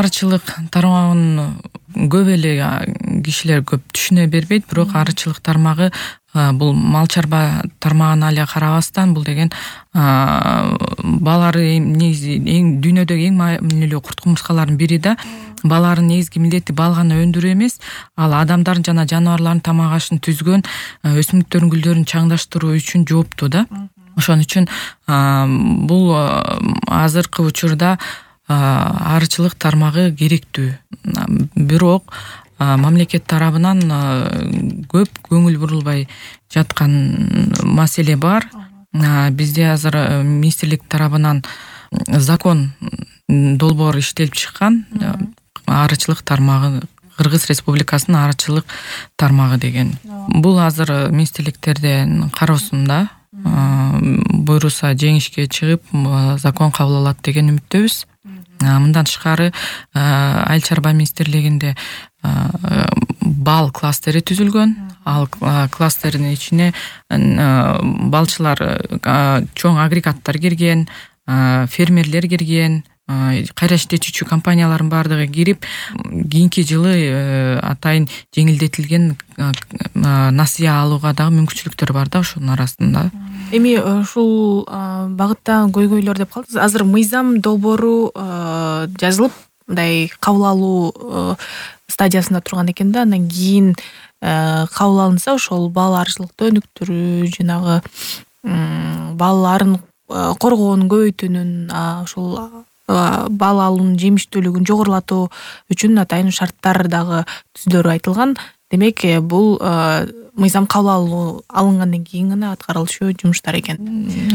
арычылык тармагын көп эле кишилер көп түшүнө бербейт, бирок арычылык тармагы бул мал чарба тармагына эле карабастан, бул деген балары негизи дүйнөдөгү эң маанилүү курт кумурскалардын бири да. Баларын негизги милдети бал гана өндүрүү эмес, ал адамдардын жана жаныбарлардын тамак ашын түзгөн, өсүмдүктөрдүн гүлдөрүн чаңдаштыруу үчүн жооптуу да. Ошон үчүн бул азыркы учурда арычылык тармагы керектүү. Бирок мамлекет тарабынан көп көңүл бурулбай жаткан маселе бар. Бизде азыр министрлик тарабынан закон долбоор иштелип чыккан. Арычылык тармагы, Кыргыз Республикасынын арычылык тармагы деген. Бул азыр министрликтердин кароосунда. Буйруса жеңишке чыгып закон кабыл алат деген үмүттөбүз. Мындан тышкары Айыл чарба министрлигинде бал кластери түзүлгөн. Ал кластердин ичине балчылар, чоң агрегаттар кирген, фермерлер кирген, кайра иштетүүчү компаниялардын баардыгы кирип, кийинки жылы атайын жеңилдетилген насыя алууга дагы мүмкүнчүлүктөр бар да ошонун арасында. Эми ушул багытта көйгөйлөр деп калдыңыз. Азыр мыйзам долбоору жазылып, мындай кабыл алуу стадиясында турган экен да. Андан кийин кабыл алынса, ошол бал арычылыкты өнүктүрүү, жанагы балаларын коргоонун, көбөйтүүнүн, ошол бал алуунун жемиштүүлүгүн жогорулатуу үчүн атайын шарттар дагы түзүлөрү айтылган. Демек, бул мыйзам кабыл алынгандан кийин гана аткарылышы жумуштар экен.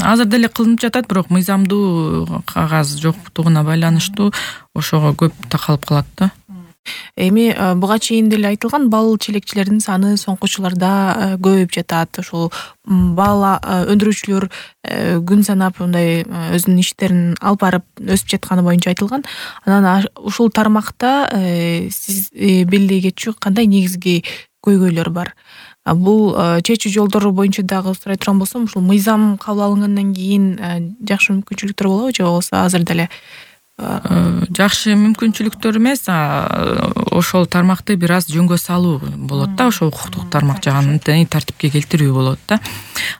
Азыр деле кылынып жатат, бирок мыйзамдуу кагаз жоктугуна байланыштуу ошого көп такалып калат да. Эми буга чейин деле айтылган, бал челекчилердин саны соңку жылдарда көбөйүп жатат. Ошол бал өндүрүүчүлөр күн санап мындай өзүнүн иштерин алып барып өсүп жатканы боюнча айтылган. Анан ушул тармакта сиз белгилей кетчү кандай негизги көйгөйлөр бар? Бул чечүү жолдору боюнча дагы сурай турган болсом, ушул мыйзам кабыл алынгандан кийин жакшы мүмкүнчүлүктөр болобу, же болбосо азыр деле жакшы мүмкүнчүлүктөр эмес, ошол тармакты бир аз жөнгө салуу болот да, ошол укуктук тармак жагын тартипке келтирүү болот да.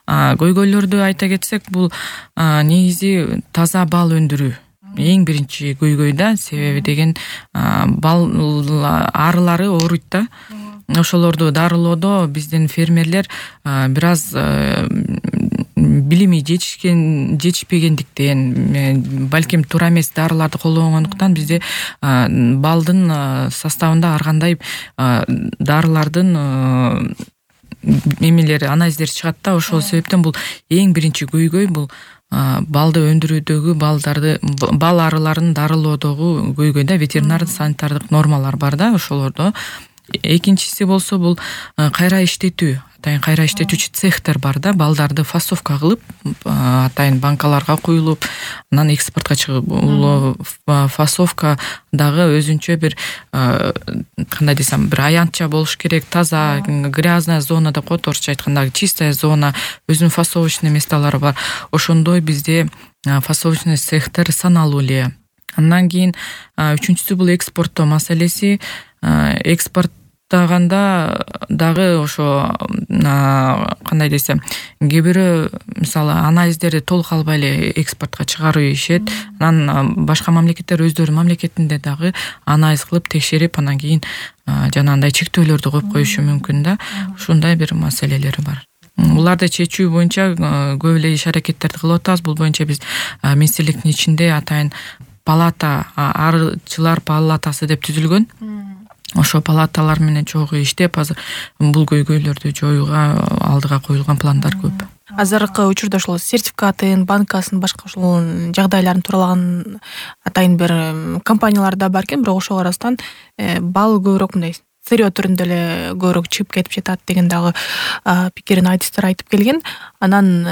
Көйгөйлөрдү айта кетсек, бул негизи таза бал өндүрүү эң биринчи көйгөй да. Себеби деген бал арылары ооруйт да. Ошолорду дарылоодо биздин фермерлер бир аз билими жетишпегендиктен, балким туура эмес дарыларды колдонгондуктан бизде балдын составында ар кандай дарылардын эмелери, анализдери чыгат да. Ошол себептен бул эң биринчи көйгөй, бул балды өндүрүүдөгү бал арыларын дарылоодогу көйгөй да. Ветеринар санитардык нормалар бар да ошолордо. Экинчиси болсо, бул кайра иштетүү. Атайын кайра иштетүүчү цехтер бар да. Балдарды фасовка кылып, атайын банкаларга куюлуп, анан экспортко чыгып, фасовка дагы өзүнчө бир кандай десем, бир аянтча болуш керек. Таза, грязная зона деп коет, орусча айтканда чистая зона, өзүнүн фасовочный месталары бар. Ошондой бизде фасовочный цехтер саналуу эле. Андан кийин үчүнчүсү бул экспорттоо маселеси. Экспорттаганда дагы ошо кандай десем, кээ бирөө мисалы анализдерди толук албай эле экспортко чыгарып ийишет. Анан башка мамлекеттер өздөрүнүн мамлекетинде дагы анализ кылып текшерип, анан кийин жанагындай чектөөлөрдү коюп коюшу мүмкүн да. Ушундай бир маселелери бар. Буларды чечүү боюнча көп эле иш-аракеттерди кылып атабыз. Бул боюнча биз министрликтин ичинде атайын палата, арычылар палатасы деп түзүлгөн. Ошо палаталар менен чогуу иштеп, азыр бул көйгөйлөрдү жоюуга алдыга коюлган пландар көп. Азыркы учурда ошол сертификатын, банкасын, башка ошол жагдайларын туралаган атайын бир компаниялар да бар экен, бирок ошого арасынан бал көбүрөөк мындай сырьё түрүндө эле көбүрөөк чыгып кетип жатат деген дагы пикирин айтыштар айтып келген. Анан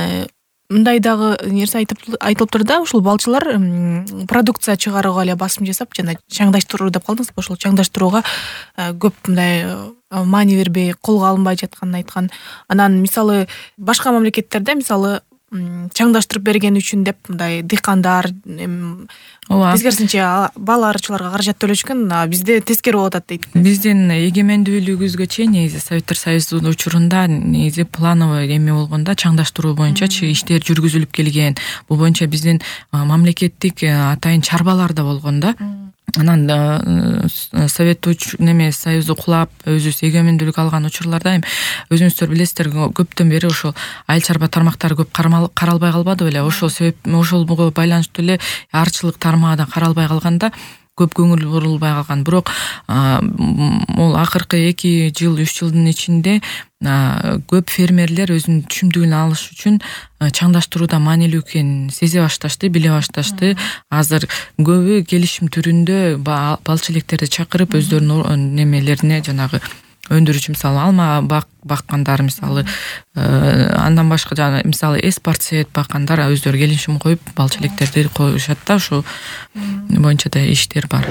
мындай дагы нерсе айтылыптыр да, ушул балчылар продукция чыгарууга эле басым жасап, жана чаңдаштыруу деп калдыңыз, ошол чаңдаштырууга көп мындай маани бербей, колго алынбай жатканын айткан. Анан мисалы башка мамлекеттерде, мисалы чаңдаштырып берген үчүн деп мындай дыйкандар ооба тескерисинче бал арычыларга каражат төлөшкөн, бизде тескери болуп атат дейт. Биздин эгемендүүлүгүбүзгө чейин негизи Советтер Союзунун учурунда негизи плановый эме болгондо чаңдаштыруу боюнчачы иштер жүргүзүлүп келген. Бул боюнча биздин мамлекеттик атайын чарбалар да болгон да. Анан Совет Союзу кулап, өзүбүз эгемендүүлүк алган учурларда эми өзүңүздөр билесиздер, көптөн бери ошол айыл чарба тармактары көп каралбай калбады беле. Ошол ошолго байланыштуу эле арчылык тармагы да каралбай калганда көп көңүл бурулбай калган. Бирок могул акыркы 2 жыл 3 жылдын ичинде көп фермерлер өзүнүн түшүмдүгүн алыш үчүн чаңдаштырууда маанилүү экенин сезе башташты, биле башташты. Азыр көбү келишим түрүндө балчы электерди чакырып өздөрүнүн немелерине жанагы өндүрүүчү, мисалы алма баккандар, мисалы андан башка жана мисалы эспарцет баккандар өздөрү келишим коюп балчы электерди коюшат да. Ошол боюнча да иштер бар.